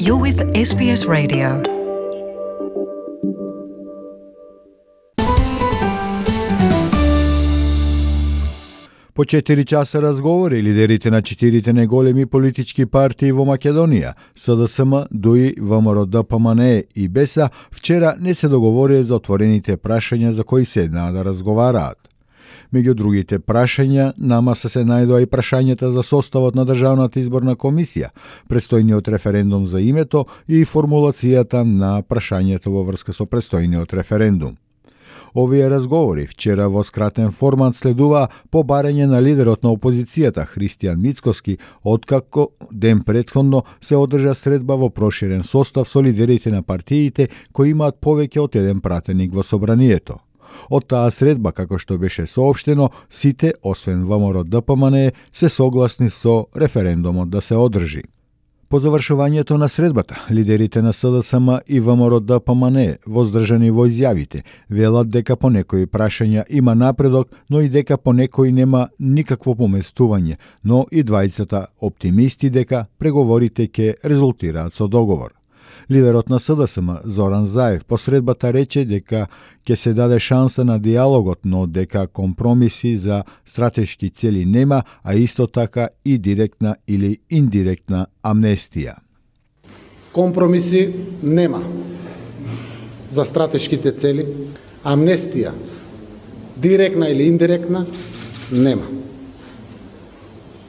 You're with SBS Radio. По 4 часа разговори лидерите на 4 најголеми политички партии во Македонија, СДСМ, ДУИ, ВМРО-ДПМНЕ и БЕСА, вчера не се договорија за отворените прашања за кои седнаа да разговараат. Меѓу другите прашања, на маса се најдоа и прашањата за составот на Државната изборна комисија, престојниот референдум за името и формулацијата на прашањето во врска со престојниот референдум. Овие разговори вчера во скратен формат следува по барање на лидерот на опозицијата Христијан Мицкоски, откако ден претходно се одржа средба во проширен состав со лидерите на партиите кои имаат повеќе од еден пратеник во собранието. Од таа средба, како што беше соопштено, сите, освен ВМРО-ДПМНЕ, се согласни со референдумот да се одржи. По завршувањето на средбата, лидерите на СДСМ и ВМРО-ДПМНЕ, воздржани во изјавите, велат дека по некои прашања има напредок, но и дека по некои нема никакво поместување, но и двајцата оптимисти дека преговорите ќе резултираат со договор. Лидерот на СДСМ, Зоран Заев, по средбата рече дека ќе се даде шанса на диалогот, но дека компромиси за стратешки цели нема, а исто така и директна или индиректна амнестија. Компромиси нема за стратешките цели, амнестија, директна или индиректна, нема.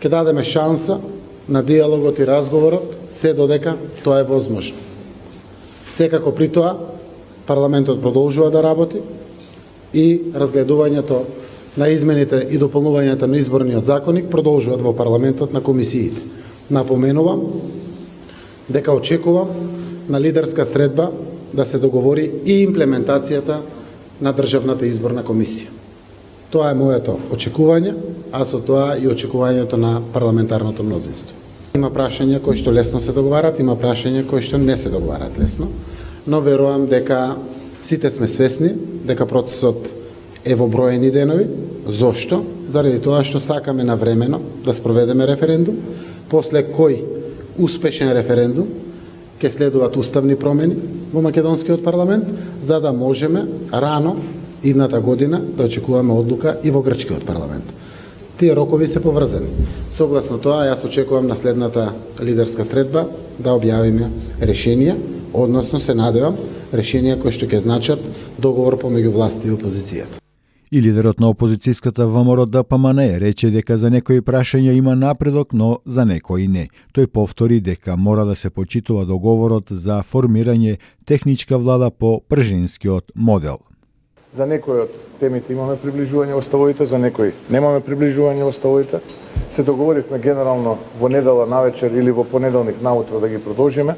Ќе дадеме шанса на диалогот и разговорот, се додека тоа е возможно. Секако при тоа, парламентот продолжува да работи и разгледувањето на измените и дополнувањето на изборниот законник продолжуваат во парламентот на комисиите. Напоменувам дека очекувам на лидерска средба да се договори и имплементацијата на Државната изборна комисија. Тоа е моето очекување, а со тоа и очекувањето на парламентарното мнозинство. Има прашања кои што лесно се договарат, има прашања кои што не се договарат лесно, но верувам дека сите сме свесни дека процесот е во броени денови. Зошто? Заради тоа што сакаме навремено да спроведеме референдум, после кој успешен референдум ќе следуваат уставни промени во македонскиот парламент, за да можеме рано идната година да очекуваме одлука и во грчкиот парламент. Тие рокови се поврзани. Согласно тоа, јас очекувам на следната лидерска средба да објавиме решенија, односно се надевам решенија кои што ќе значат договор помеѓу власт и опозицијата. И лидерот на опозицијската ВМРО-ДПМНЕ рече дека за некои прашања има напредок, но за некои не. Тој повтори дека мора да се почитува договорот за формирање техничка влада по пржинскиот модел. За некои од темите имаме приближување во ставовите, за некои немаме приближување во ставовите. Се договоривме генерално во недела навечер или во понеделник наутро да ги продолжиме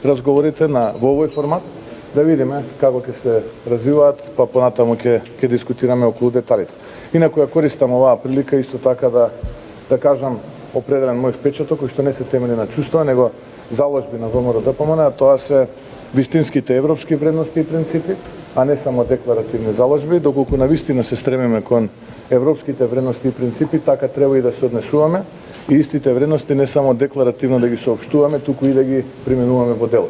разговорите во овој формат, да видиме како ќе се развиваат, па понатаму ќе дискутираме околу деталите. Инаку ја користам оваа прилика исто така да кажам определен мој впечаток, кој што не се темели на чувства, него заложби на ВМРО-ДПМНЕ, тоа се вистинските европски вредности и принципи, а не само декларативни заложби. Доколку навистина се стремиме кон европските вредности и принципи, така треба и да се однесуваме и истите вредности не само декларативно да ги соопштуваме, туку и да ги применуваме во дело.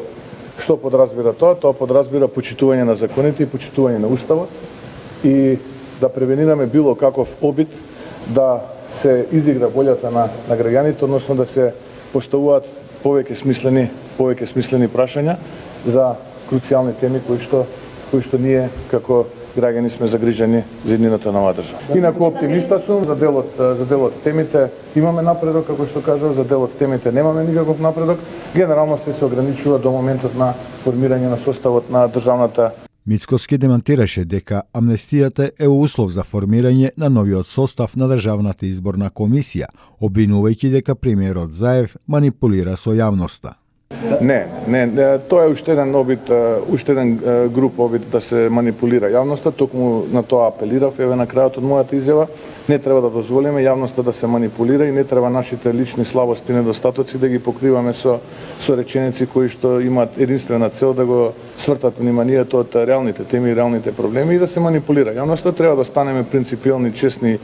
Што подразбира тоа? Тоа подразбира почитување на законите и почитување на уставот и да превенираме било каков обид да се изигра волјата на граѓаните, односно да се поставуваат повеќе смислени прашања за круцијални теми кои што ние како граѓани сме загрижени за иднината на оваа држава. Инаку оптимиста сум за делот темите имаме напредок, како што кажав, за делот темите немаме никаков напредок. Генерално се ограничува до моментот на формирање на составот на државната. Мицкоски демантираше дека амнестијата е услов за формирање на новиот состав на Државната изборна комисија, обвинувајќи дека премиерот Заев манипулира со јавноста. Не, тоа е уште еден груп обид да се манипулира јавноста, токму на тоа апелирав еве на крајот од мојата изјава. Не треба да дозволиме јавноста да се манипулира и не треба нашите лични слабости и недостатоци да ги покриваме со реченици кои што имаат единствена цел да го свртат вниманието од реалните теми и реалните проблеми и да се манипулира. Јавноста треба да станеме принципиелни, честни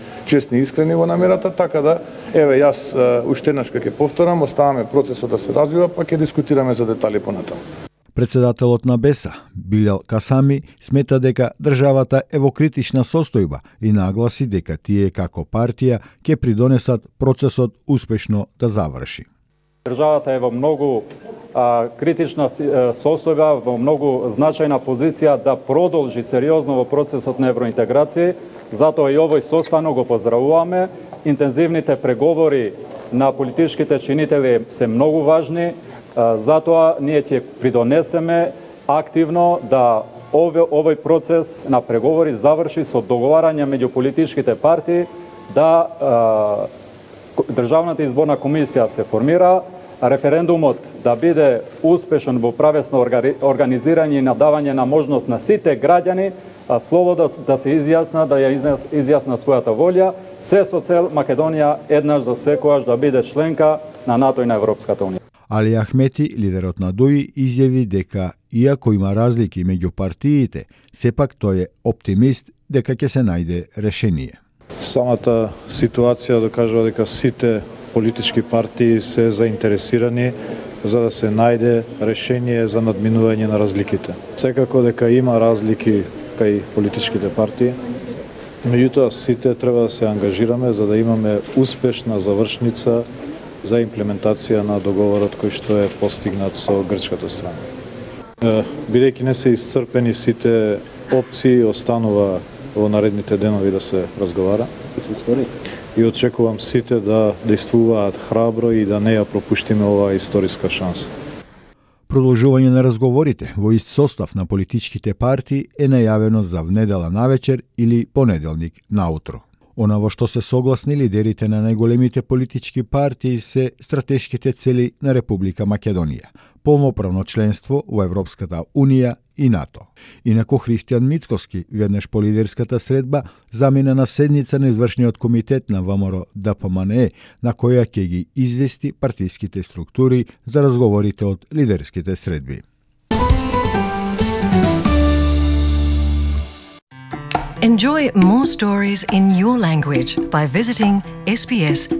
и искрени во намерата, така да, еве, јас уште еднаш ќе повторам, оставаме процесот да се развива, па ќе дискутираме за детали понатаму. Председателот на БЕСА, Билал Касами, смета дека државата е во критична состојба и нагласи дека тие како партија ќе придонесат процесот успешно да заврши. Државата е во многу критична состојба, во многу значајна позиција да продолжи сериозно во процесот на евроинтеграција, затоа и овој состанок го поздравуваме. Интензивните преговори на политичките чинители се многу важни, затоа ние ќе придонесеме активно да овој процес на преговори заврши со договарање меѓу политичките партии, да Државната изборна комисија се формира, референдумот да биде успешен во правесно организирање и надавање на можност на сите граѓани слободно да се изјаснат, да ја изјаснат својата волја, се со цел Македонија еднаш за секогаш да биде членка на НАТО и на Европската унија. Али Ахмети, лидерот на ДОИ, изјави дека иако има разлики меѓу партиите, сепак тој е оптимист дека ќе се најде решение. Самата ситуација докажува дека сите политички партии се заинтересирани за да се најде решение за надминување на разликите. Секако дека има разлики кај политичките партии, меѓутоа сите треба да се ангажираме за да имаме успешна завршница за имплементација на договорот кој што е постигнат со грчката страна. Бидејќи не се исцрпени сите опции, останува во наредните денови да се разговара. И очекувам сите да действуваат храбро и да не ја пропуштиме оваа историска шанса. Продолжување на разговорите во ист состав на политичките партии е најавено за внедела навечер или понеделник наутро. Она во што се согласни лидерите на најголемите политички партии се стратешките цели на Република Македонија, полноправно членство во Европската Унија и НАТО. Инаку Христијан Мицкоски, веднаш по лидерската средба, замина на седница на извршниот комитет на ВМРО ДПМНЕ, на која ќе ги извести партиските структури за разговорите од лидерските средби. Enjoy more stories in your language by visiting sbs.com.au.